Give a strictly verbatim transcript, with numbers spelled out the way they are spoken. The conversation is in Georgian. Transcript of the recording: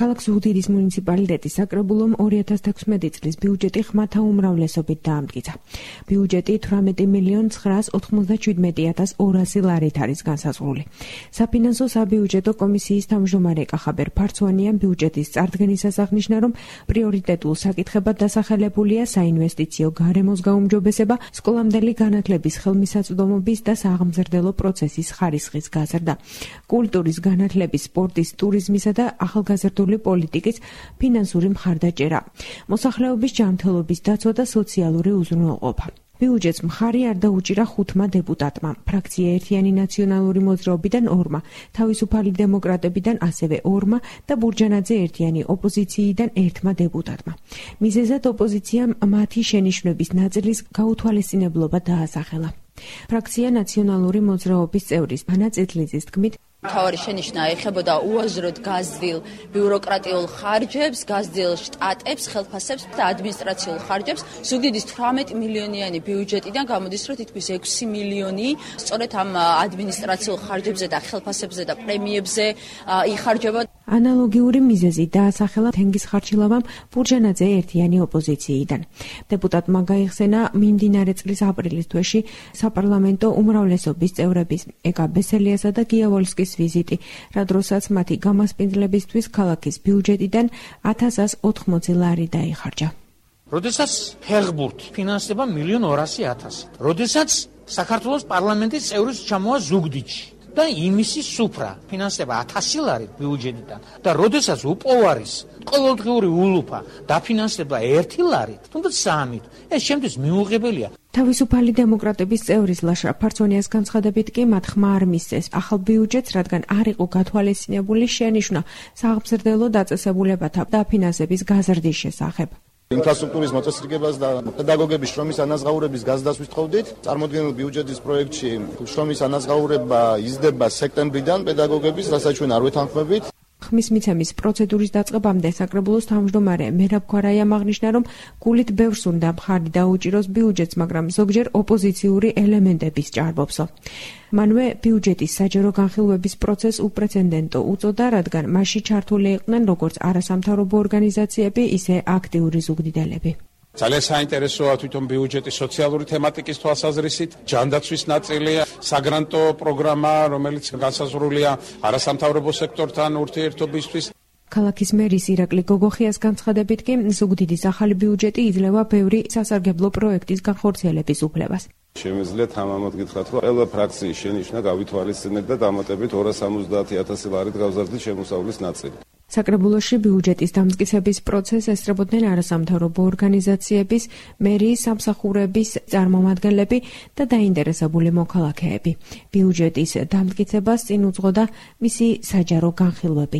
ქალაქ ზუგდიდის მუნიციპალიტეტის საკრებულომ ორი ათას თექვსმეტი წლის ბიუჯეტი ხმათა უმრავლესობით დაამტკიცა. ბიუჯეტი თვრამეტი მილიონ ცხრაას ოთხმოცდაშვიდმეტი ათას ორასი ლარით არის განსაზღვრული. საფინანსო საბიუჯეტო კომისიის თავმჯდომარე კახაბერ ფარცვანიამ ბიუჯეტის წარდგენისას აღნიშნა, რომ პრიორიტეტულ საკითხებად დასახელებულია საინვესტიციო გარემოს გაუმჯობესება, სკოლამდელი განათლების ხელმისაწვდომობის და სააღმზრდელო პროცესის ხარისხის გაზრდა, კულტურის, განათლების, სპორტის, ტურიზმისა და ახალგაზრდული პოლიტიკის ფინანსური მხარდაჭერა, მოსახლეობის ჯანმრთელობის დაცვა და სოციალური უზრუნველყოფა. ბიუჯეტს მხარი არ დაუჭირა ხუთმა დეპუტატმა, ფრაქცია ერთიანი ნაციონალური მოძრაობიდან ორმა, თავისუფალი დემოკრატებიდან ასევე ორმა და ბურჯანაძე ერთიანი ოპოზიციიდან ერთმა დეპუტატმა. მიზეზად ოპოზიციამ მათი შენიშვნების ნაწილის გაუთვალისწინებლობა დაასახელა. ფრაქცია ნაციონალური მოძრაობის წევრის ანა წითლიძის თქმით, მთავარი შენიშვნა ეხებოდა უაზროდ გაზრდილ ბიუროკრატიულ ხარჯებს, გაზრდილ შტატებს, ხელფასებს და ადმინისტრაციულ ხარჯებს. ზუგდიდის თვრამეტი მილიონიანი ბიუჯეტიდან გამოდის, რომ თითქმის ექვსი მილიონი სწორედ ამ ადმინისტრაციულ ხარჯებზე და ხელფასებზე და პრემიებზე იხარჯება. ანალოგიური მიზეზი დაასახელა თენგიზ ხარჩილავამ ბურჯანაძე ერთიანი ოპოზიციიდან. დეპუტატმა გაიხსენა მიმდინარე წლის აპრილის თვეში საპარლამენტო უმრავლესობის წევრების ეკა ბესელიასა და გიავოლსკის ვიზიტი, რა დროსაც მათი გამასპინძლებისთვის ქალაქის ბიუჯეტიდან ათას ოთხმოცი ლარი დაიხარჯა. როდესაც ფეხბურთი ფინანსდება მილიონ ორასი ათასი. როდესაც საქართველოს პარლამენტის წევრის ჩამოვა ზუგდიდში და იმისი სუფრა ფინანსდება ათასი ლარით ბიუჯეტიდან და როდესაც უპოვარის ყოველდღიური ულუფა დაფინანსდება ერთი ლარით, თუნდაც სამით, ეს შემთხვევით მიუღებელია. თავისუფალი დემოკრატების წევრის ლაშა ფარცვანიას განცხადებით კი მათ ხმა არ მისცეს ახალ ბიუჯეტს, რადგან არ იყო გათვალისწინებული შენიშვნა სააღმზრდელო დაწესებულებათა დაფინანსების გაზრდის შესახებ. ინფრასტრუქტურის მოწესრიგებას და პედაგოგების შრომის ანაზღაურების გაზრდას ვთხოვდით. წარმოდგენილ ბიუჯეტის პროექტში შრომის ანაზღაურება იზრდება სექტემბრიდან პედაგოგების, რასაც ჩვენ არ ვეთანხმებით. ხმის მიცემის პროცედურის დაწყებამდე საკრებულოს თავმჯდომარე მერაბ ქვარაიამ აღნიშნა, რომ გულით ბევრს უნდა მხარი დაუჭიროს ბიუჯეტს, მაგრამ ზოგჯერ ოპოზიციური ელემენტების ჭარბობსო. მანვე ბიუჯეტის საჯარო განხილვების პროცესს უპრეცედენტო უწოდა, რადგან მასში ჩართული იყვნენ როგორც არასამთავრობო ორგანიზაციები, ისე აქტიური ზუგდიდელები. ძალიან საინტერესოა თვითონ ბიუჯეტის სოციალური თემატიკის თვალსაზრისით, ჯანდაცვის ნაწილია, საგრანტო პროგრამა, რომელიც განსაზღვრულია არასამთავრობო სექტორთან ურთიერთობისთვის. ქალაქის მერის ირაკლი გოგოხიას განცხადებით კი ზუგდიდის ახალი ბიუჯეტი იძლევა ბევრი სასარგებლო პროექტის განხორციელების უფლებას. შემეძლია თამამად გითხრათ, რომ ყველა ფრაქციის შენიშვნა გავითვალისწინეთ და დამატებით ორას სამოცდაათი ათასი ლარით გავზარდით შემოსავლის ნაწილი. საკრებულოში ბიუჯეტის დამტკიცების პროცესს ესწრებოდნენ არასამთავრობო ორგანიზაციების, მერიის სამსახურების წარმომადგენლები და დაინტერესებული მოქალაქეები. ბიუჯეტის დამტკიცებას წინ უძღოდა მისი საჯარო განხილვები.